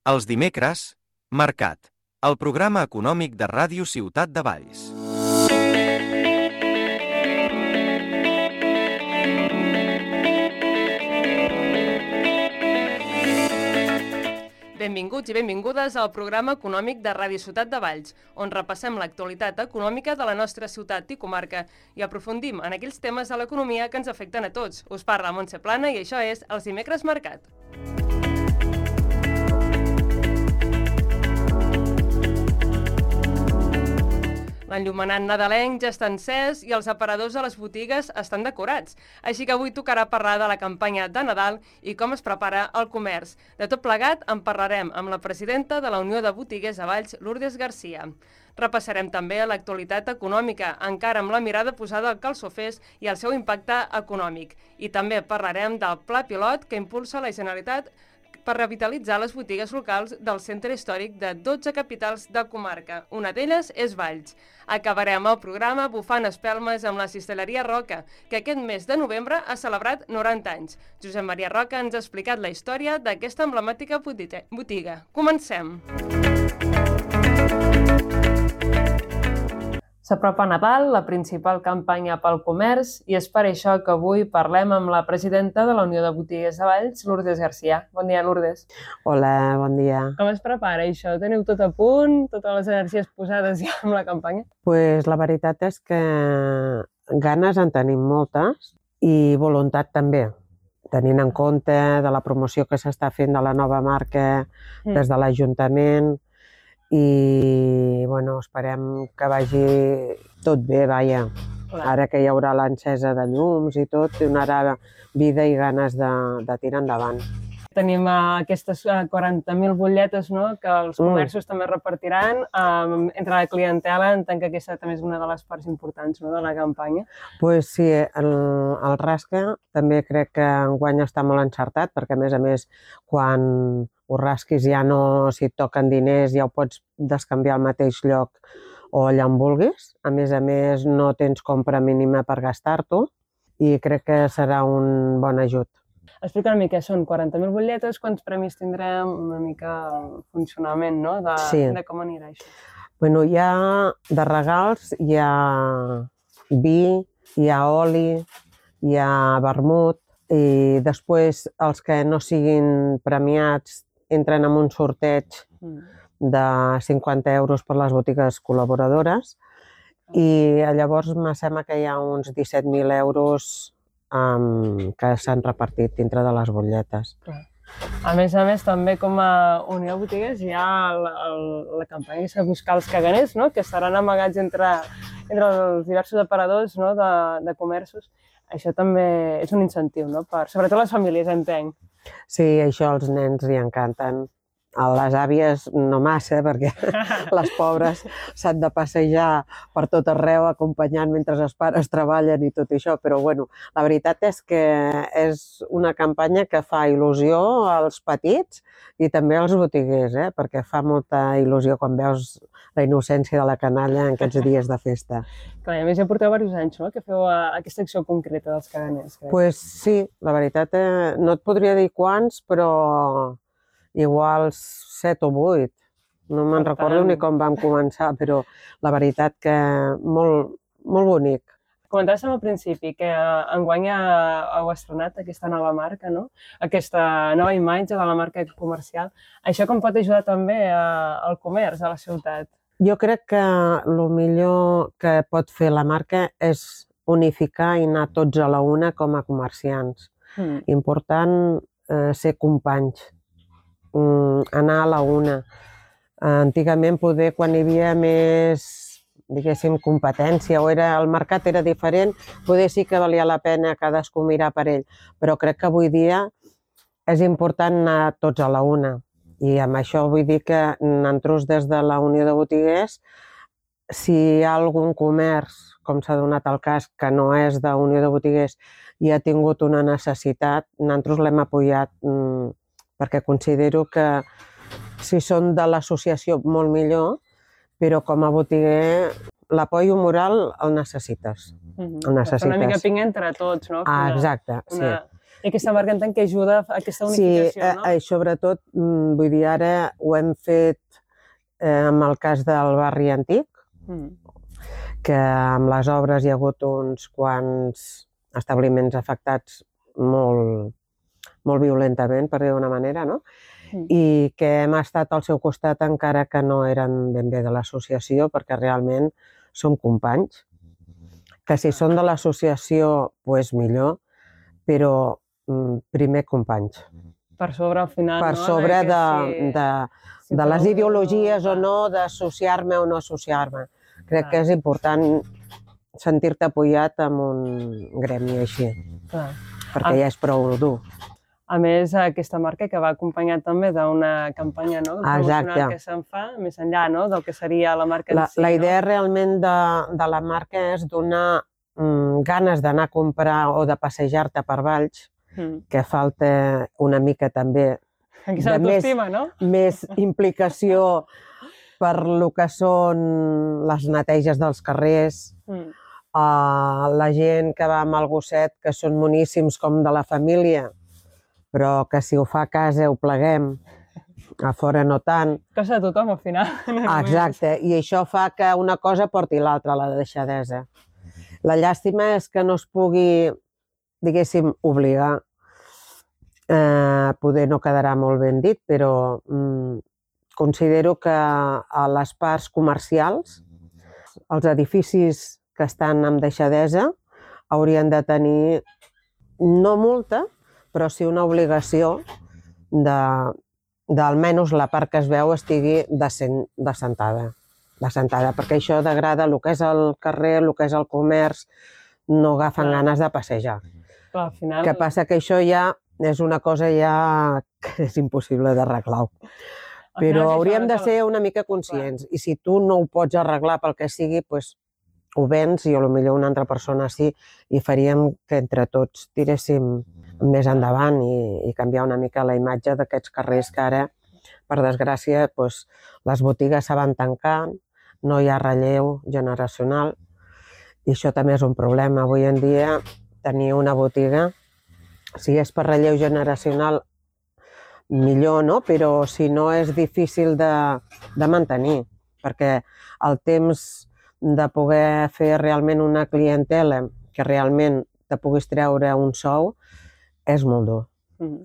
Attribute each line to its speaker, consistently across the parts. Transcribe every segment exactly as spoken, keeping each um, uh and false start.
Speaker 1: Els dimecres, Mercat, el programa econòmic de Ràdio Ciutat de Valls.
Speaker 2: Benvinguts i benvingudes al programa econòmic de Ràdio Ciutat de Valls, on repassem l'actualitat econòmica de la nostra ciutat i comarca i aprofundim en aquells temes de l'economia que ens afecten a tots. Us parla Montse Plana i això és Els dimecres Mercat. L'enllumenat nadalenc ja està encès i els aparadors de les botigues estan decorats. Així que avui tocarà parlar de la campanya de Nadal i com es prepara el comerç. De tot plegat en parlarem amb la presidenta de la Unió de Botiguers de Valls, Lourdes Garcia. Repassarem també l'actualitat econòmica, encara amb la mirada posada al calçofers i el seu impacte econòmic. I també parlarem del pla pilot que impulsa la Generalitat per revitalitzar les botigues locals del centre històric de dotze capitals de comarca. Una d'elles és Valls. Acabarem el programa bufant espelmes amb la Cistelleria Roca, que aquest mes de novembre ha celebrat noranta anys. Josep Maria Roca ens ha explicat la història d'aquesta emblemàtica botiga. Comencem! S'apropa Nadal, la principal campanya pel comerç, i és per això que avui parlem amb la presidenta de la Unió de Botiguers de Valls, Lourdes Garcia. Bon dia, Lourdes.
Speaker 3: Hola, bon dia.
Speaker 2: Com es prepara això? Teniu tot a punt? Totes les energies posades ja amb la campanya?
Speaker 3: Pues la veritat és que ganes en tenim moltes i voluntat també, tenint en compte de la promoció que s'està fent de la nova marca mm. des de l'Ajuntament, i bueno, esperem que vagi tot bé, vaja. Clar. Ara que hi haurà l'encesa de llums i tot, donarà vida i ganes de, de tirar endavant.
Speaker 2: Tenim uh, aquestes uh, quaranta mil butlletes, no?, que els comerços mm. també repartiran uh, entre la clientela. Entenc que aquesta també és una de les parts importants, no?, de la campanya.
Speaker 3: Pues sí, el, el rasca també crec que enguany està molt encertat, perquè a més a més quan ho rasquis ja no, si et toquen diners ja ho pots descanviar al mateix lloc o allà on vulguis. A més a més no tens compra mínima per gastar-t'ho i crec que serà un bon ajut.
Speaker 2: Explica una mica, són quaranta mil butlletes, quants premis tindrem, una mica el funcionament, no?, de,
Speaker 3: sí.
Speaker 2: de com anirà això.
Speaker 3: Bueno, hi ha de regals, hi ha vi, hi ha oli, hi ha vermut, i després els que no siguin premiats entren en un sorteig de cinquanta euros per les botigues col·laboradores i llavors me sembla que hi ha uns disset mil euros um, que s'han repartit dintre de les butlletes.
Speaker 2: A més a més, també com a Unió de Botiguers hi ha la, la campanya de buscar els caganers, no?, que estaran amagats entre, entre els diversos aparadors, no?, de, de comerços. Això també és un incentiu, no?, per, sobretot les famílies, entenc.
Speaker 3: Sí, això als nens li encanten. A les àvies no massa, perquè les pobres s'han de passejar per tot arreu acompanyant mentre els pares treballen i tot això, però bueno, la veritat és que és una campanya que fa il·lusió als petits i també als botiguers, eh? Perquè fa molta il·lusió quan veus la innocència de la canalla en aquests dies de festa.
Speaker 2: Clar, a més ja porteu diversos anys, no?, que feu aquesta acció concreta dels caganers.
Speaker 3: Doncs pues sí, la veritat, eh, no et podria dir quants, però igual set o vuit. No me'n recordo ni com vam començar, però la veritat que molt, molt bonic.
Speaker 2: Comentaves al principi que enguany heu estrenat aquesta nova marca, no?, aquesta nova imatge de la marca comercial. Això com pot ajudar també al comerç a la ciutat?
Speaker 3: Jo crec que el millor que pot fer la marca és unificar i anar tots a la una com a comerciants. Mm. Important eh, ser companys, mm, anar a la una. Antigament, poder, quan hi havia més, diguéssim, competència o era, el mercat era diferent, poder sí que valia la pena cadascú mirar per ell. Però crec que avui dia és important anar tots a la una. I amb això vull dir que nosaltres des de la Unió de Botiguers, si hi ha algun comerç, com s'ha donat el cas, que no és de Unió de Botiguers i ha tingut una necessitat, nosaltres l'hem apoyat mmm, perquè considero que si són de l'associació molt millor, però com a botiguer l'apoio moral el necessites.
Speaker 2: Mm-hmm. El necessites. Una mica pinga entre tots, no?
Speaker 3: Ah, exacte, una... sí.
Speaker 2: I aquesta marca entenc que ajuda a aquesta unificació, no?
Speaker 3: Sí, sobretot, vull dir, ara ho hem fet amb el cas del barri antic, que amb les obres hi ha hagut uns quants establiments afectats molt, molt violentament, per dir d'una manera, no? I que hem estat al seu costat encara que no eren ben bé de l'associació, perquè realment som companys, que si són de l'associació, doncs millor, però primer companys.
Speaker 2: Per sobre, al final, no?
Speaker 3: Per sobre de les ideologies o no, d'associar-me o no associar-me. Crec que és important sentir-te apoyat amb un gremi així, perquè ja és prou dur.
Speaker 2: A més, aquesta marca que va acompanyat també d'una campanya promocional que se'n fa, més enllà del que seria la marca en si.
Speaker 3: La idea realment de la marca és donar ganes d'anar a comprar o de passejar-te per Valls, que falta una mica també de més implicació per lo que són les neteges dels carrers, la gent que va amb el gosset, que són moníssims com de la família, però que si ho fa a casa ho pleguem, a fora no tant.
Speaker 2: Cosa de tothom, al final.
Speaker 3: Exacte, i això fa que una cosa porti l'altra, la deixadesa. La llàstima és que no es pugui, diguéssim, obligar. Poder no quedarà molt ben dit, però considero que a les parts comercials, els edificis que estan amb deixadesa haurien de tenir, no multa, però sí una obligació d'almenys la part que es veu estigui descentada, perquè això degrada el que és el carrer, el que és el comerç, no agafen ganes de passejar. El que passa que això ja és una cosa ja que és impossible d'arreglar. Però hauríem de ser una mica conscients, i si tu no ho pots arreglar pel que sigui, doncs ho vens i potser una altra persona sí, i faríem que entre tots tiréssim més endavant i canviar una mica la imatge d'aquests carrers que ara, per desgràcia, les botigues se van tancant, no hi ha relleu generacional, i això també és un problema. Avui en dia tenir una botiga, si és per relleu generacional, millor, no? Però si no és difícil de mantenir, perquè el temps de poder fer realment una clientela que realment te puguis treure un sou és molt dur,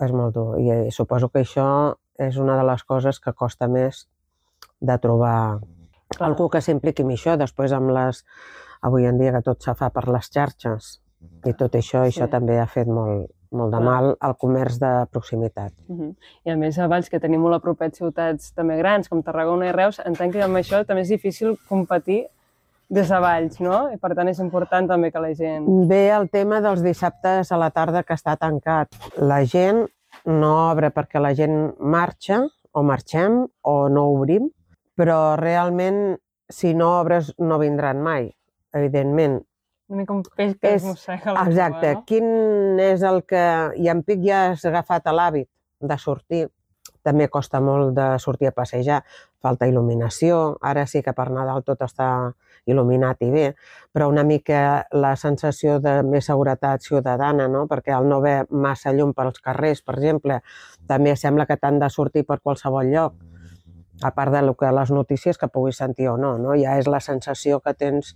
Speaker 3: és molt dur. I suposo que això és una de les coses que costa més de trobar algú que s'impliqui en això. Després, amb les... avui en dia que tot se fa per les xarxes i tot això, això també ha fet molt molt de mal al comerç de proximitat.
Speaker 2: I a més, a Valls, que tenim molt a propet ciutats també grans, com Tarragona i Reus, entenc que amb això també és difícil competir des de Valls, no? I per tant és important també que la gent...
Speaker 3: Ve el tema dels dissabtes a la tarda que està tancat. La gent no obre perquè la gent marxa, o marxem, o no obrim, però realment, si no obres, no vindran mai, evidentment.
Speaker 2: Una mica un peix que es mossega la cua, no?
Speaker 3: Exacte. Quin és el que... I en Pic ja has agafat l'hàbit de sortir. També costa molt de sortir a passejar. Falta il·luminació. Ara sí que per Nadal tot està il·luminat i bé, però una mica la sensació de més seguretat ciutadana, no? Perquè al no haver massa llum pels carrers, per exemple, també sembla que t'han de sortir per qualsevol lloc. A part de les notícies que puguis sentir o no, no? Ja és la sensació que tens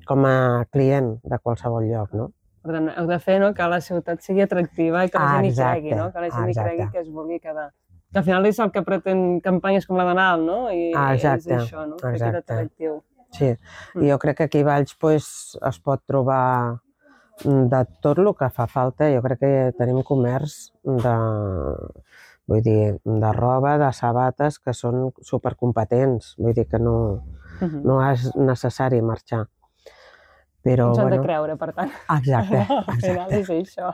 Speaker 3: com a client de qualsevol lloc, no?
Speaker 2: Per tant, heu de fer que la ciutat sigui atractiva i que la gent hi cregui, no? Que la gent hi cregui que es vulgui quedar. Que al final és el que pretén campanyes com la de Nadal, no? I és això, no? Fer aquest atractiu.
Speaker 3: Sí, i jo crec que aquí a Valls es pot trobar de tot el que fa falta. Jo crec que tenim comerç de... Vull dir, de roba, de sabates, que són supercompetents. Vull dir que no és necessari marxar.
Speaker 2: Ens han de creure, per tant.
Speaker 3: Exacte.
Speaker 2: Al final és això.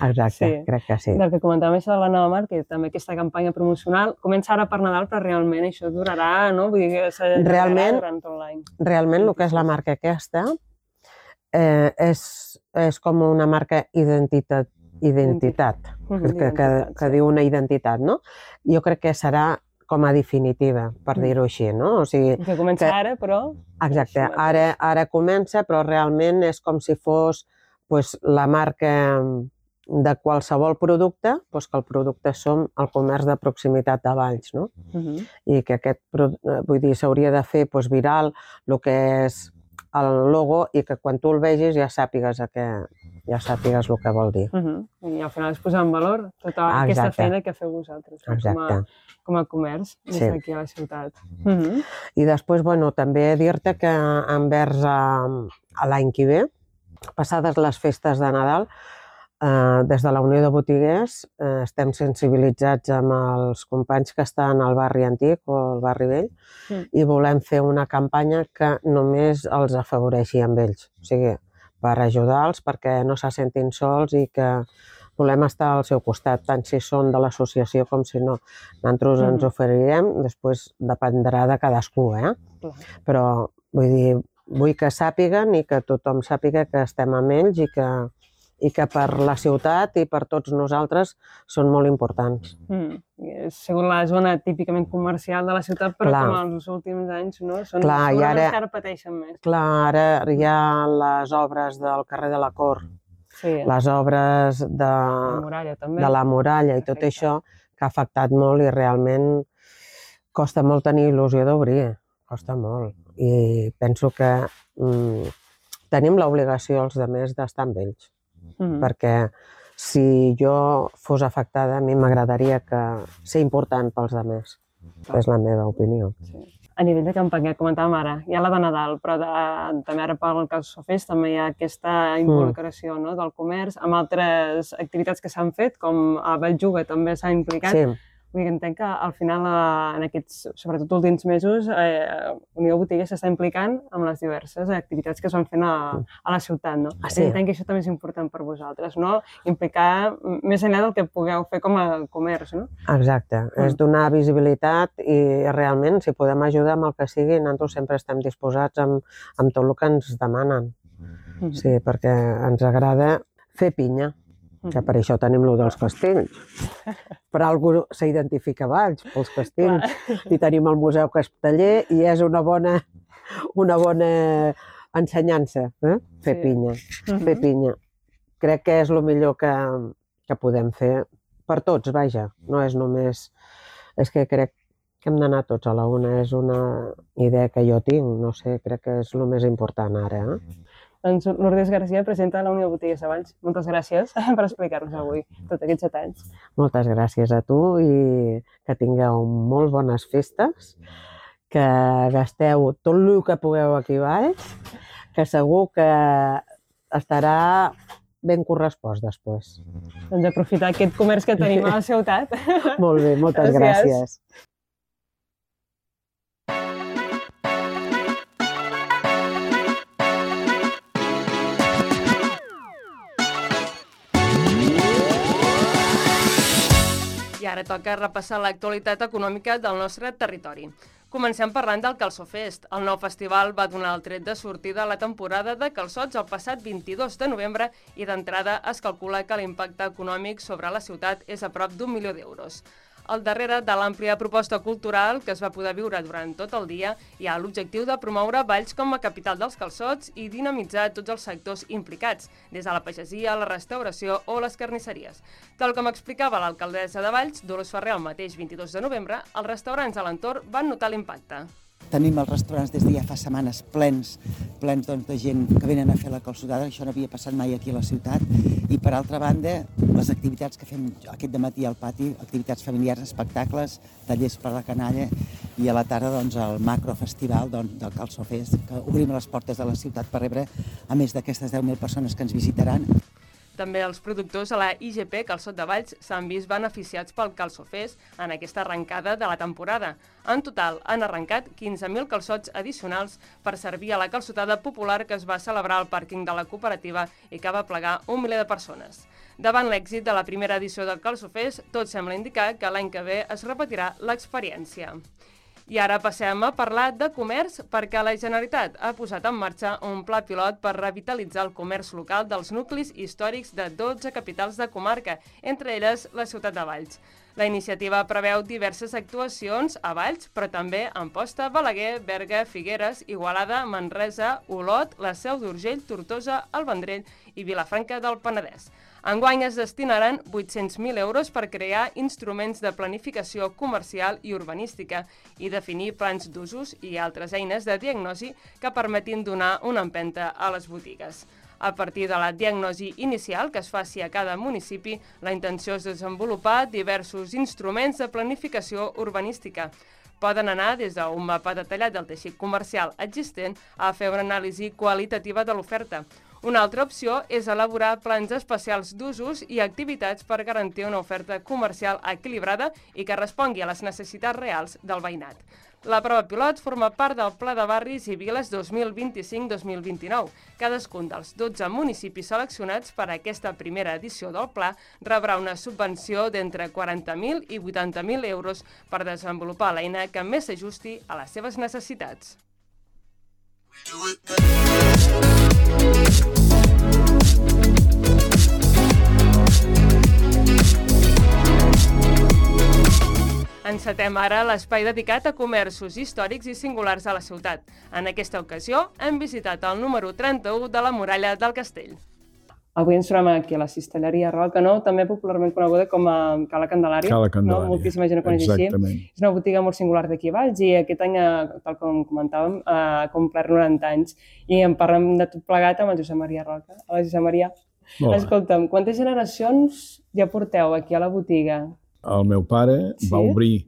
Speaker 3: Exacte, crec que sí.
Speaker 2: Del que comentàvem això de la nova marca i també aquesta campanya promocional, comença ara per Nadal, però realment això durarà, no? Vull dir que s'allargarà durant tot l'any.
Speaker 3: Realment el que és la marca aquesta és com una marca identitat. identitat, que diu una identitat, no? Jo crec que serà com a definitiva, per dir-ho així, no?
Speaker 2: Que comença ara, però...
Speaker 3: Exacte, ara comença, però realment és com si fos la marca de qualsevol producte, doncs que el producte som el comerç de proximitat de Valls, no? Uh-huh. I que aquest, vull dir, s'hauria de fer doncs, viral el que és el logo i que quan tu el vegis ja sàpigues, que, ja sàpigues el que vol dir.
Speaker 2: Uh-huh. I al final és posar en valor tota ah, aquesta feina que feu vosaltres com a, com a comerç des sí. d'aquí a la ciutat. Uh-huh.
Speaker 3: I després, bueno, també dir-te que envers a, a l'any que ve, passades les festes de Nadal, eh, des de la Unió de Botiguers eh, estem sensibilitzats amb els companys que estan al barri antic o al barri vell mm. i volem fer una campanya que només els afavoreixi amb ells. O sigui, per ajudar-los perquè no se sentin sols i que volem estar al seu costat, tant si són de l'associació com si no. Nosaltres mm. ens oferirem, després dependrà de cadascú, eh? Mm. Però vull dir, vull que sàpiguen i que tothom sàpiga que estem amb ells i que, i que per la ciutat i per tots nosaltres són molt importants.
Speaker 2: Mm. És segur la zona típicament comercial de la ciutat, però clar. Com els últims anys no? Són clar, segurament ara, que ara pateixen més.
Speaker 3: Clar, ara hi ha les obres del carrer de la Cort, sí. les obres de la
Speaker 2: muralla, també.
Speaker 3: de la muralla i tot Perfecte. Això que ha afectat molt i realment costa molt tenir il·lusió d'obrir, costa molt. I penso que mm, tenim l'obligació els altres d'estar amb ells, mm-hmm. perquè si jo fos afectada a mi m'agradaria que ser important pels altres, oh. és la meva opinió.
Speaker 2: Sí. A nivell de campanya, comentàvem ara, hi ha la de Nadal, però de, també ara pel Calçofest també hi ha aquesta involucració mm. no, del comerç amb altres activitats que s'han fet, com a Belluga també s'ha implicat. Sí. Vull dir que entenc que al final, en aquests, sobretot últims mesos, eh, Unió Botiguer s'està implicant amb les diverses activitats que es van fent a, a la ciutat, no? Ah, sí. Entenc que això també és important per vosaltres, no? Implicar més enllà del que pugueu fer com a comerç, no?
Speaker 3: Exacte, mm. és donar visibilitat i realment, si podem ajudar amb el que sigui, nosaltres sempre estem disposats amb, amb tot el que ens demanen. Mm. Sí, perquè ens agrada fer pinya. Que per això tenim lo dels castells. Per algú s'identifica Valls, pels castells. I tenim el Museu Casteller i és una bona, una bona ensenyança, eh? Fer sí. pinya. Uh-huh. Fer pinya. Crec que és el millor que, que podem fer per tots, vaja. No és només... És que crec que hem d'anar tots a la una. És una idea que jo tinc, no sé, crec que és el més important ara, eh?
Speaker 2: Doncs Lourdes Garcia, presidenta de la Unió de Botiguers de Valls. Moltes gràcies per explicar-nos avui tots aquests detalls.
Speaker 3: Moltes gràcies a tu i que tingueu molt bones festes, que gasteu tot el que pugueu aquí a Valls, que segur que estarà ben correspost després.
Speaker 2: Doncs aprofitar aquest comerç que tenim a la ciutat.
Speaker 3: Molt bé, moltes gràcies. gràcies.
Speaker 2: I ara toca repassar l'actualitat econòmica del nostre territori. Comencem parlant del Calçofest. El nou festival va donar el tret de sortida a la temporada de calçots el passat vint-i-dos de novembre i d'entrada es calcula que l'impacte econòmic sobre la ciutat és a prop d'un milió d'euros. Al darrere de l'àmplia proposta cultural que es va poder viure durant tot el dia hi ha l'objectiu de promoure Valls com a capital dels calçots i dinamitzar tots els sectors implicats, des de la pagesia, la restauració o les carnisseries. Tal com explicava l'alcaldessa de Valls, Dolors Ferrer, el mateix vint-i-dos de novembre, els restaurants a l'entorn van notar l'impacte.
Speaker 4: Tenim els restaurants des de ja fa setmanes plens, plens doncs, de gent que venen a fer la calçotada, això no havia passat mai aquí a la ciutat. I per altra banda, les activitats que fem aquest dematí al pati, activitats familiars, espectacles, tallers per la canalla i a la tarda doncs, el macrofestival doncs, del Calçofest, que obrim les portes de la ciutat per rebre a més d'aquestes deu mil persones que ens visitaran.
Speaker 2: També els productors a la I G P Calçot de Valls s'han vist beneficiats pel Calçofest en aquesta arrencada de la temporada. En total, han arrencat quinze mil calçots addicionals per servir a la calçotada popular que es va celebrar al pàrquing de la cooperativa i que va plegar un miler de persones. Davant l'èxit de la primera edició del Calçofest, tot sembla indicar que l'any que ve es repetirà l'experiència. I ara passem a parlar de comerç perquè la Generalitat ha posat en marxa un pla pilot per revitalitzar el comerç local dels nuclis històrics de dotze capitals de comarca, entre elles la ciutat de Valls. La iniciativa preveu diverses actuacions a Valls, però també a Amposta, Balaguer, Berga, Figueres, Igualada, Manresa, Olot, la Seu d'Urgell, Tortosa, el Vendrell i Vilafranca del Penedès. Enguany es destinaran vuit-cents mil euros per crear instruments de planificació comercial i urbanística i definir plans d'usos i altres eines de diagnosi que permetin donar una empenta a les botigues. A partir de la diagnosi inicial que es faci a cada municipi, la intenció és desenvolupar diversos instruments de planificació urbanística. Poden anar des d'un mapa detallat del teixit comercial existent a fer una anàlisi qualitativa de l'oferta. Una altra opció és elaborar plans especials d'usos i activitats per garantir una oferta comercial equilibrada i que respongui a les necessitats reals del veïnat. La prova pilot forma part del Pla de Barris i Viles dos mil vint-i-cinc dos mil vint-i-nou. Cadascun dels dotze municipis seleccionats per a aquesta primera edició del pla rebrà una subvenció d'entre quaranta mil i vuitanta mil euros per desenvolupar l'eina que més s'ajusti a les seves necessitats. Encetem ara l'espai dedicat a comerços històrics i singulars a la ciutat. En aquesta ocasió hem visitat el número trenta-u de la muralla del castell. Avui ens trobem aquí a la cistelleria Roca Nou, també popularment coneguda com a Cala Candelària.
Speaker 5: Cala Candelària,
Speaker 2: no? Moltíssima gent ho coneix així.
Speaker 5: Exactament.
Speaker 2: És una botiga molt singular d'aquí a Valls i aquest any, tal com comentàvem, ha complert noranta anys. I en parlem de tot plegat amb el Josep Maria Roca. Hola, Josep Maria.
Speaker 5: Hola.
Speaker 2: Escolta'm, quantes generacions ja porteu aquí a la botiga?
Speaker 5: El meu pare
Speaker 2: Sí?
Speaker 5: va obrir,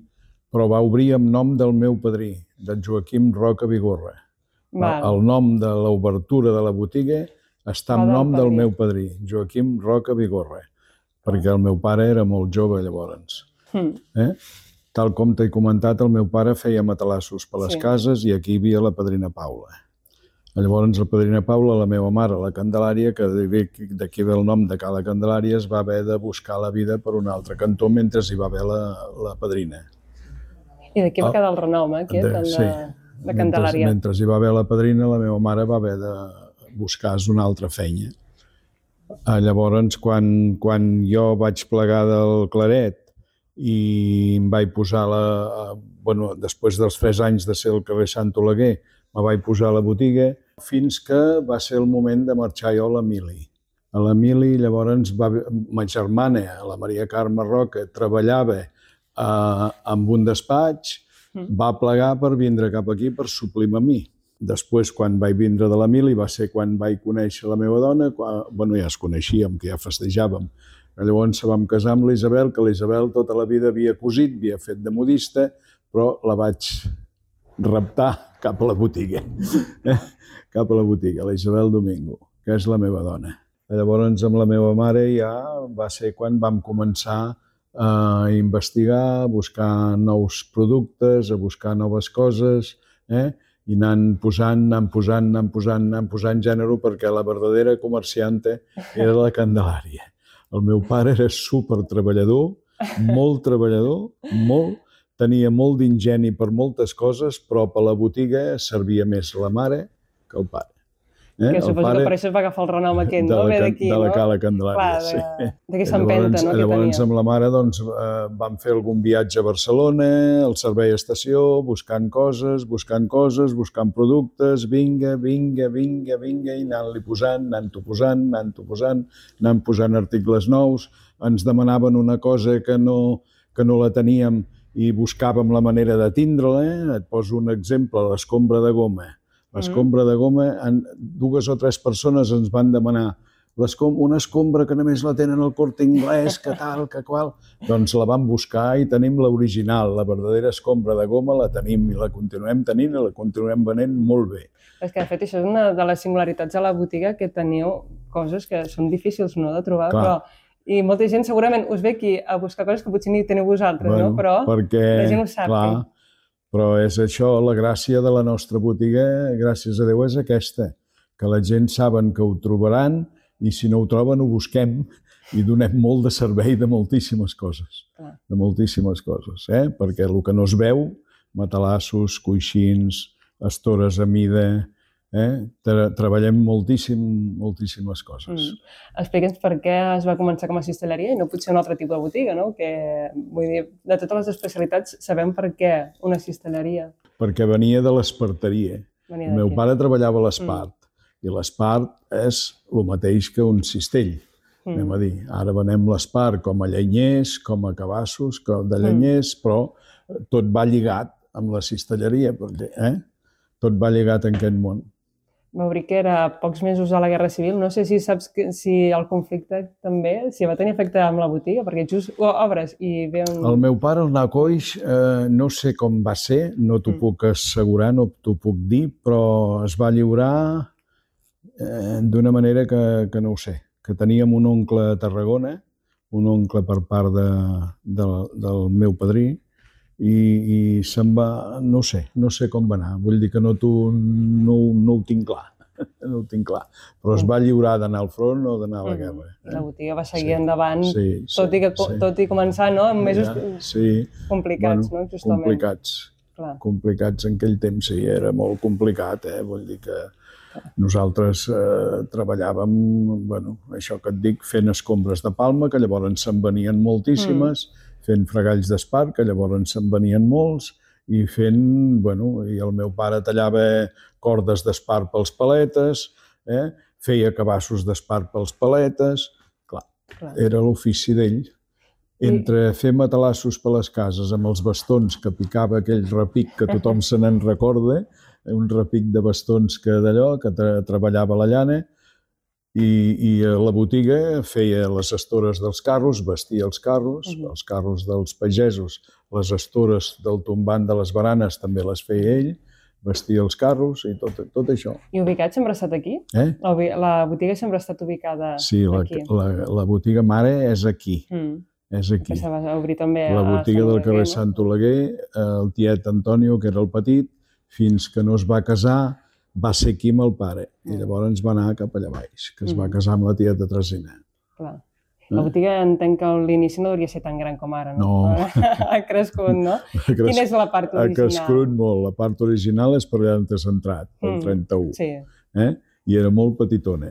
Speaker 5: però va obrir amb nom del meu padrí, d'en Joaquim Roca Vigorra.
Speaker 2: Val.
Speaker 5: El nom de l'obertura de la botiga està en
Speaker 2: Va del
Speaker 5: nom del
Speaker 2: padrí.
Speaker 5: meu padrí, Joaquim Roca Vigorra, perquè el meu pare era molt jove llavors.
Speaker 2: Mm.
Speaker 5: Eh? Tal com t'he comentat, el meu pare feia matalassos per les
Speaker 2: Sí.
Speaker 5: cases i aquí hi havia la padrina Paula. Llavors, la padrina Paula, la meva mare, la Candelària, que d'aquí ve el nom de Cala Candelària, es va haver de buscar la vida per un altre cantó mentre hi va haver la, la padrina.
Speaker 2: I d'aquí va
Speaker 5: Oh,
Speaker 2: quedar el renom, eh, aquest,
Speaker 5: de-
Speaker 2: el de,
Speaker 5: sí.
Speaker 2: de Candelària.
Speaker 5: Mentre, mentre hi va haver la padrina, la meva mare va haver de buscar una altra feina. Ah, llavors, quan, quan jo vaig plegar del Claret i em vaig posar la... Bueno, després dels tres anys de ser al carrer Sant Oleguer, me vaig posar a la botiga fins que va ser el moment de marxar jo a l'Emili. A l'Emili, llavors, va, ma germana, la Maria Carme Roca, treballava eh, amb un despatx,
Speaker 2: Mm.
Speaker 5: va plegar per vindre cap aquí per suplir-me a mi. Després, quan vaig vindre de l'Emili, va ser quan vaig conèixer la meva dona, quan, bueno, ja es coneixíem, que ja festejàvem. Llavors vam casar amb l'Isabel, que l'Isabel tota la vida havia cosit, havia fet de modista, però la vaig raptar cap a la botiga. cap a la botiga, la Isabel Domingo, que és la meva dona. Llavors, amb la meva mare ja va ser quan vam començar a investigar, a buscar nous productes, a buscar noves coses, eh? I anant posant, anant posant, anant posant, anant posant gènere, perquè la verdadera comerciante era la Candelària. El meu pare era super treballador, molt treballador, molt, tenia molt d'ingeni per moltes coses, però per la botiga servia més la mare que el pare. Eh?
Speaker 2: Que
Speaker 5: El
Speaker 2: suposo
Speaker 5: pare
Speaker 2: que per això es va agafar el renom aquest,
Speaker 5: de
Speaker 2: no?
Speaker 5: la,
Speaker 2: Ve
Speaker 5: Can-
Speaker 2: d'aquí,
Speaker 5: de la
Speaker 2: no?
Speaker 5: Cala Candelària,
Speaker 2: Clar,
Speaker 5: sí.
Speaker 2: de- d'aquesta empenta, no, que
Speaker 5: Llavors,
Speaker 2: tenia.
Speaker 5: amb la mare doncs, eh, vam fer algun viatge a Barcelona, al servei a estació, buscant coses, buscant coses, buscant productes, vinga, vinga, vinga, vinga, i anant-li posant, anant-ho posant, anant-ho posant, anant posant articles nous. Ens demanaven una cosa que no, que no la teníem i buscàvem la manera de tindre-la. Et poso un exemple, l'escombra de goma. L'escombra de goma, en dues o tres persones ens van demanar una escombra que només la tenen al Corte Inglés, que tal, que qual. Doncs la vam buscar i tenim l'original, la verdadera escombra de goma la tenim i la continuem tenint i la continuem venent molt bé.
Speaker 2: És que, de fet, això és una de les singularitats de la botiga, que teniu coses que són difícils, no?, de trobar,
Speaker 5: Clar.
Speaker 2: però... I molta gent segurament us ve aquí a buscar coses que potser ni teniu vosaltres,
Speaker 5: Bueno,
Speaker 2: no? Però
Speaker 5: perquè,
Speaker 2: la gent ho sap.
Speaker 5: clar, però és això, la gràcia de la nostra botiga, gràcies a Déu, és aquesta, que la gent saben que ho trobaran i si no ho troben ho busquem i donem molt de servei de moltíssimes coses,
Speaker 2: Clar.
Speaker 5: de moltíssimes coses, eh? Perquè el que no es veu, matalassos, coixins, estores a mida, eh? Tra treballem moltíssim, moltíssimes coses.
Speaker 2: Mm. Explica'ns per què es va començar com a cistelleria i no potser un altre tipus de botiga, no? Que, vull dir, de totes les especialitats sabem per què una cistelleria.
Speaker 5: Perquè venia de l'esparteria.
Speaker 2: Venia
Speaker 5: El meu
Speaker 2: d'aquí.
Speaker 5: pare treballava a l'Espart, i l'Espart és el mateix que un cistell. anem a dir. Ara venem l'espart com a llenyers, com a cabassos de llenyers, però tot va lligat amb la cistelleria, perquè eh? tot va lligat en aquest món.
Speaker 2: M'obri que era pocs mesos a la Guerra Civil. No sé si saps que, si el conflicte també, si va tenir efecte amb la botiga, perquè just obres i ve un...
Speaker 5: El meu pare, el Nacoix, eh, no sé com va ser, no t'ho mm. puc assegurar, no t'ho puc dir, però es va lliurar eh, d'una manera que, que no ho sé, que teníem un oncle a Tarragona, un oncle per part de, de, del meu padrí, i, i se'n va, no sé, no sé com va anar, vull dir que no, tu, no, no ho tinc clar, no ho tinc clar, però es va lliurar d'anar al front o d'anar a la guerra.
Speaker 2: Eh? La botiga va seguir sí, endavant,
Speaker 5: sí, sí,
Speaker 2: tot, i que,
Speaker 5: sí.
Speaker 2: tot i començar no? en mesos
Speaker 5: ja, sí.
Speaker 2: complicats,
Speaker 5: bueno,
Speaker 2: no? Justament.
Speaker 5: Complicats, Clar. complicats en aquell temps, sí, era molt complicat, eh? Vull dir que nosaltres eh, treballàvem, bueno, això que et dic, fent escombres de palma, que llavors se'n venien moltíssimes, mm. fent fregalls d'espart, que llavors se'n venien molts, i fent, bueno, i el meu pare tallava cordes d'espart pels paletes, eh? feia cabassos d'espart pels paletes, clar, clar. era l'ofici d'ell. Entre fer matalassos per les cases amb els bastons que picava aquell repic que tothom se n'en recorda, un repic de bastons que d'allò, que tra treballava la llana, i, i a la botiga feia les estores dels carros, vestia els carros, uh -huh. els carros dels pagesos, les estores del tombant de les baranes també les feia ell, vestia els carros i tot, tot això.
Speaker 2: I ubicat sempre ha estat aquí?
Speaker 5: Eh?
Speaker 2: La, la botiga sempre ha estat ubicada
Speaker 5: sí, la,
Speaker 2: aquí?
Speaker 5: Sí, la, la botiga mare és aquí.
Speaker 2: Mm.
Speaker 5: És aquí.
Speaker 2: Que se va obrir també
Speaker 5: la botiga
Speaker 2: a
Speaker 5: del carrer Sant Oleguer, el tiet Antonio, que era el petit, fins que no es va casar, va ser aquí amb el pare. I llavors ens va anar cap allà baix, que es va casar amb la tieta Tresina.
Speaker 2: Clar. La botiga entenc que l'inici no hauria ser tan gran com ara, no?
Speaker 5: No.
Speaker 2: Ha crescut, no? Quina és la part original?
Speaker 5: Ha crescut molt. La part original és per allà on t'has entrat, el trenta-u.
Speaker 2: Sí.
Speaker 5: Eh? I era molt petitona.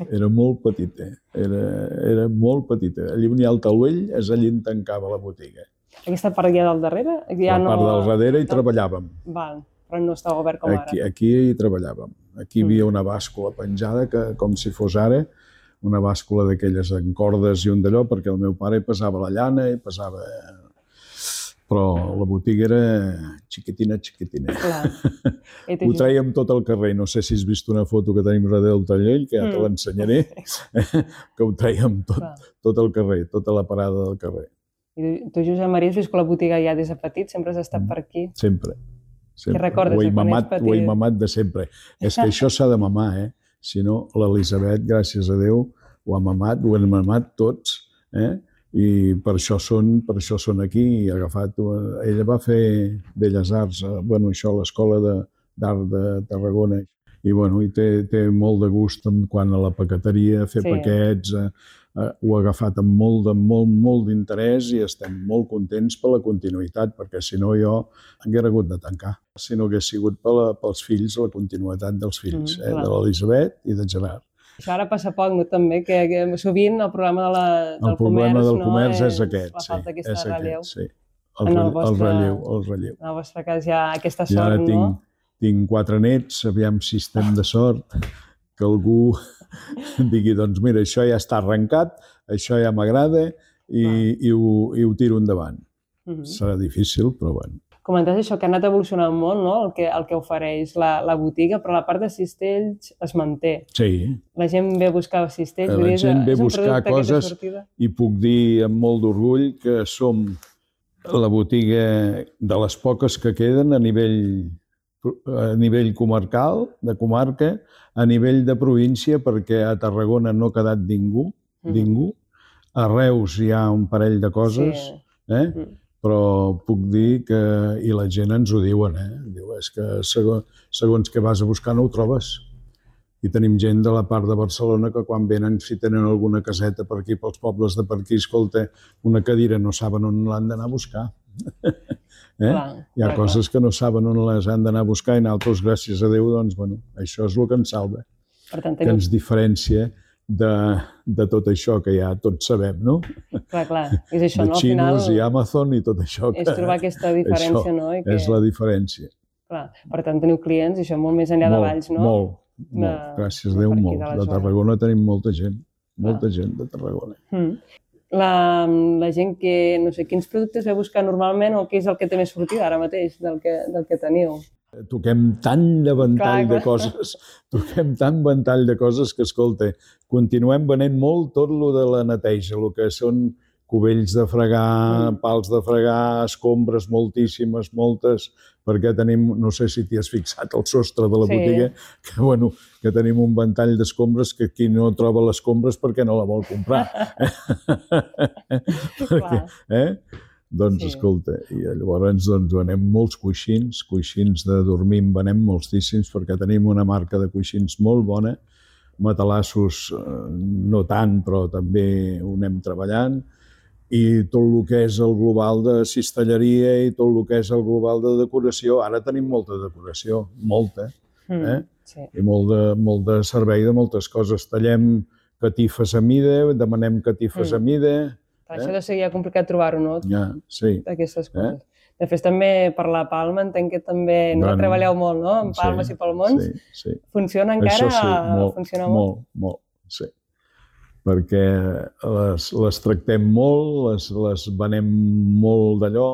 Speaker 5: Era molt petita. Era, era molt petita. Allí on hi ha el taulell és allí on tancava la botiga.
Speaker 2: Aquesta part ja del darrere? Ja
Speaker 5: la part
Speaker 2: no...
Speaker 5: del darrere hi treballàvem.
Speaker 2: Val, però no estava obert com
Speaker 5: aquí,
Speaker 2: ara.
Speaker 5: Aquí hi treballàvem. Aquí hi havia una bàscula penjada, que, com si fos ara, una bàscula d'aquelles en cordes i un d'allò, perquè el meu pare pesava la llana i pesava... Però la botiga era xiquitina, xiquitina. Ho traiem tot al carrer. No sé si has vist una foto que tenim darrere del tallell, que ja te l'ensenyaré, que ho traiem tot, tot al carrer, tota la parada del carrer.
Speaker 2: I tu, Josep Maria, has vist que la botiga ja des de petit sempre has estat per aquí?
Speaker 5: Sempre.
Speaker 2: Què recordes de quan ets petit?
Speaker 5: Ho he mamat de sempre. És que això s'ha de mamar, eh? Si no, l'Elisabet, gràcies a Déu, ho ha mamat, ho hem mamat tots, eh? I per això són, per això són aquí, i ha agafat... Ella va fer Belles Arts, bueno, això a l'Escola d'Art de, de Tarragona, i bueno, i té, té molt de gust quan a la paqueteria, fer sí. paquets, eh, eh, ho ha agafat amb molt, de, molt, molt d'interès i estem molt contents per la continuïtat, perquè si no jo hauria hagut de tancar, si no hagués sigut per la, pels fills, la continuïtat dels fills, mm, eh, de l'Elisabet i de Gerard.
Speaker 2: Això ara passa poc, no, també, que, que sovint el programa de la, del
Speaker 5: el problema
Speaker 2: comerç,
Speaker 5: del
Speaker 2: no,
Speaker 5: comerç és,
Speaker 2: és
Speaker 5: aquest,
Speaker 2: la falta
Speaker 5: sí,
Speaker 2: d'aquesta
Speaker 5: és
Speaker 2: relleu.
Speaker 5: Aquest, sí. El, el, el, vostre, el relleu, el relleu.
Speaker 2: En el vostre cas hi ha aquesta
Speaker 5: I ara
Speaker 2: sort,
Speaker 5: tinc,
Speaker 2: no?
Speaker 5: Tinc quatre nets, aviam si estem de sort, que algú digui, doncs mira, això ja està arrencat, això ja m'agrada i, ah. i, ho, i ho tiro endavant. Uh -huh. Serà difícil, però bueno.
Speaker 2: Comentaves això, que ha anat evolucionant molt, no?, el que, el que ofereix la, la botiga, però la part de cistells es manté.
Speaker 5: Sí.
Speaker 2: La gent ve a buscar cistells.
Speaker 5: La gent ve a buscar coses i puc dir amb molt d'orgull que som la botiga de les poques que queden a nivell, a nivell comarcal, de comarca, a nivell de província, perquè a Tarragona no ha quedat ningú, mm. ningú. A Reus hi ha un parell de coses, sí. eh? Mm. Però puc dir que, i la gent ens ho diuen, eh? Diu, és que segons, segons que vas a buscar no ho trobes. I tenim gent de la part de Barcelona que quan venen, si tenen alguna caseta per aquí, pels pobles de per aquí, escolta, una cadira no saben on l'han d'anar a buscar. eh? Clar, Hi ha clar, coses clar. que no saben on les han d'anar a buscar i nosaltres, gràcies a Déu, doncs, bueno, això és el que ens salva.
Speaker 2: Per tant,
Speaker 5: que ens diferencia de, de tot això que ja tots sabem, no?
Speaker 2: Clar, clar. És això,
Speaker 5: de
Speaker 2: no? Al
Speaker 5: Xinos
Speaker 2: final,
Speaker 5: i Amazon i tot això.
Speaker 2: És trobar aquesta diferència,
Speaker 5: això
Speaker 2: no? I que...
Speaker 5: és la diferència.
Speaker 2: Clar, per tant, teniu clients, i això molt més enllà
Speaker 5: molt,
Speaker 2: de Valls, no?
Speaker 5: Molt, molt. De... Gràcies a Déu, molt. De Tarragona tenim molta gent. molta gent de Tarragona.
Speaker 2: Mm. La, la gent que, no sé, quins productes ve a buscar normalment o què és el que té més sortida ara mateix del que, del que teniu?
Speaker 5: Toquem tant de ventall
Speaker 2: Clar,
Speaker 5: de coses, toquem tant ventall de coses que, escolta, continuem venent molt tot lo de la neteja, el que són cubells de fregar, mm. pals de fregar, escombres moltíssimes, moltes, perquè tenim, no sé si t'hi has fixat, el sostre de la sí. botiga, que, bueno, que tenim un ventall d'escombres que qui no troba les escombres perquè no la vol comprar. perquè, eh? Doncs, sí. escolta, i llavors doncs, venem molts coixins, coixins de dormir en venem moltíssims, perquè tenim una marca de coixins molt bona, matalassos no tant, però també ho anem treballant, i tot el que és el global de cistelleria i tot el que és el global de decoració. Ara tenim molta decoració, molta, eh? Mm, sí. I molt de, molt de servei de moltes coses. Tallem catifes a mida, demanem catifes mm. a mida.
Speaker 2: Per això deu ser ja complicat trobar-ho, no?
Speaker 5: Ja, sí.
Speaker 2: D'aquestes coses. Eh? De fet, també per la Palma entenc que també no bueno, treballeu molt, no? En Palmes sí, i Palmons.
Speaker 5: Sí, sí.
Speaker 2: Funciona encara?
Speaker 5: Això sí, molt,
Speaker 2: Funciona molt,
Speaker 5: molt, molt, sí. Perquè les, les tractem molt, les, les venem molt d'allò,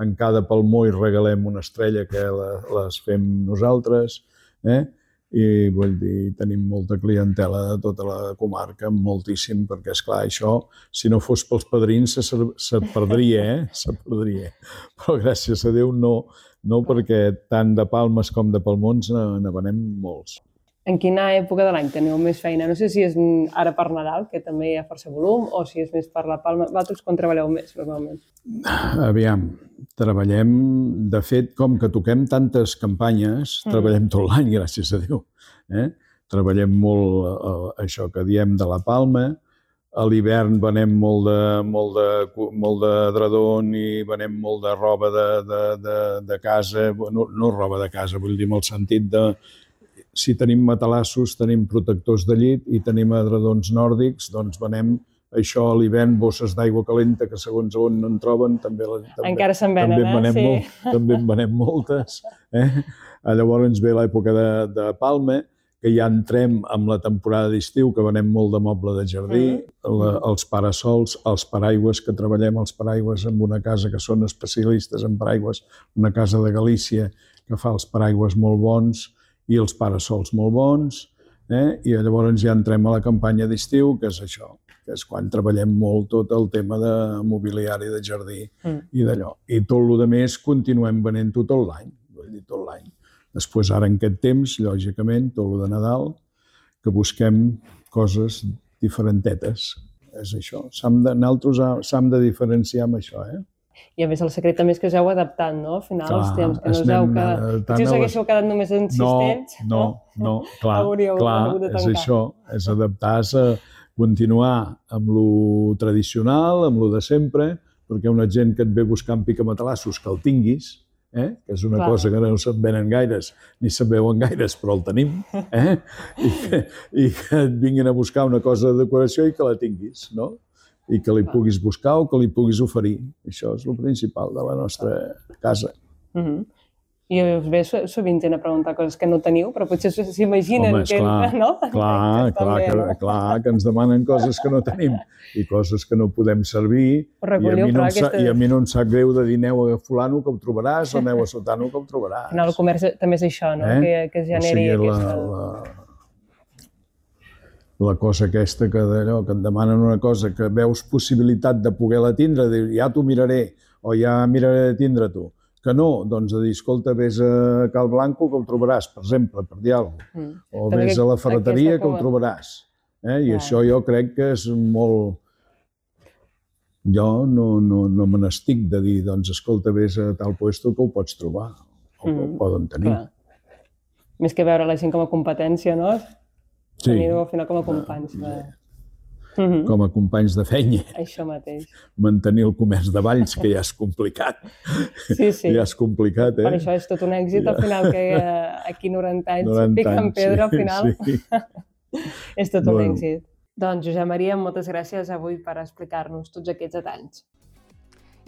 Speaker 5: en cada palmó hi regalem una estrella que la, les fem nosaltres, eh? I vull dir, tenim molta clientela de tota la comarca, moltíssim, perquè esclar, això, si no fos pels padrins, se, se perdria, eh? Se perdria. Però gràcies a Déu no, no perquè tant de Palmes com de Palmons ne venem molts.
Speaker 2: En quina època de l'any teniu més feina? No sé si és ara per Nadal, que també hi ha força volum, o si és més per la Palma. Vosaltres quan treballeu més, normalment?
Speaker 5: Aviam, treballem, de fet, com que toquem tantes campanyes, mm. treballem tot l'any, gràcies a Déu. Eh? Treballem molt eh, això que diem de la Palma. A l'hivern venem molt de, molt de, molt de dredon i venem molt de roba de, de, de, de casa, no, no roba de casa, vull dir, en el sentit de si tenim matalassos, tenim protectors de llit i tenim edredons nòrdics, doncs venem això a l'hivern, bosses d'aigua calenta que segons on no en troben, també, també,
Speaker 2: encara se'n venen,
Speaker 5: també, en venem
Speaker 2: eh?
Speaker 5: molt, sí. també en venem moltes. Eh? Llavors ve l'època de, de Palma, que ja entrem amb la temporada d'estiu, que venem molt de moble de jardí, mm. la, els parasols, els paraigües, que treballem els paraigües amb una casa que són especialistes en paraigües, una casa de Galícia que fa els paraigües molt bons, i els parasols molt bons, eh? I llavors ja entrem a la campanya d'estiu, que és això, que és quan treballem molt tot el tema de mobiliari de jardí mm. i d'allò. I tot el que més continuem venent-ho tot l'any, vull dir, tot l'any. Després, ara en aquest temps, lògicament, tot el de Nadal, que busquem coses diferentetes. És això. De, nosaltres s'hem de diferenciar amb això, eh?
Speaker 2: I a més el secret també és que us heu adaptat, no? Al final, els temps, que no us heu quedat... Si us haguéssiu quedat només insistents...
Speaker 5: No, no, no, clar, clar, és això, és adaptar-se, continuar amb lo tradicional, amb lo de sempre, perquè una gent que et ve buscant picamatalassos que el tinguis, eh? Que és una clar. cosa que no se'n venen gaires, ni se'n veuen gaires, però el tenim, eh? I, que, i que et vinguin a buscar una cosa de decoració i que la tinguis, no? I que li puguis buscar o que li puguis oferir. Això és el principal de la nostra casa.
Speaker 2: Mm-hmm. I us ve sovint gent a preguntar coses que no teniu, però potser s'imaginen
Speaker 5: Home,
Speaker 2: que...
Speaker 5: Clar,
Speaker 2: no?
Speaker 5: clar, clar, que, no? clar, que ens demanen coses que no tenim i coses que no podem servir.
Speaker 2: Recolliu,
Speaker 5: I, a mi no
Speaker 2: aquesta...
Speaker 5: sa, I a mi no em sap greu de dir aneu a fulano que ho trobaràs o aneu a sotano que ho trobaràs.
Speaker 2: Al final el comerç també és això, no? Eh? Que, que es generi o sigui, aquesta... La, la...
Speaker 5: la cosa aquesta que d'allò, que et demanen una cosa que veus possibilitat de poder-la tindre, de dir, ja t'ho miraré, o ja miraré de tindre tu. Que no, doncs de dir, escolta, vés a Cal Blanco que ho trobaràs, per exemple, per dir alguna cosa. Mm. O Però vés a la ferreteria que ho trobaràs. Eh? I ah. això jo crec que és molt... Jo no, no, no me n'estic de dir, doncs, escolta, vés a tal puesto que ho pots trobar, o mm. que ho poden tenir.
Speaker 2: Clar. Més que veure la gent com a competència, no?
Speaker 5: Sí.
Speaker 2: Teniu al final com a companys. De...
Speaker 5: Mm-hmm. Com a companys de feina.
Speaker 2: Això mateix.
Speaker 5: Mantenir el comerç de Valls, que ja és complicat.
Speaker 2: Sí, sí.
Speaker 5: Ja és complicat, eh?
Speaker 2: Per això és tot un èxit, ja. Al final, que aquí noranta anys piquen pedra, al final. Sí. És tot un bueno. èxit. Doncs, Josep Maria, moltes gràcies avui per explicar-nos tots aquests detalls.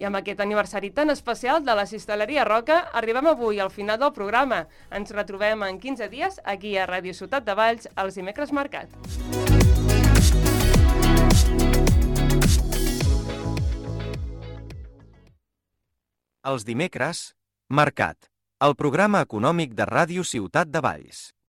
Speaker 2: I amb aquest aniversari tan especial de la Cistelleria Roca, arribem avui al final del programa. Ens retrobem en quinze dies aquí a Ràdio Ciutat de Valls, als dimecres Mercat.
Speaker 1: Els dimecres, Mercat, el programa econòmic de Ràdio Ciutat de Valls.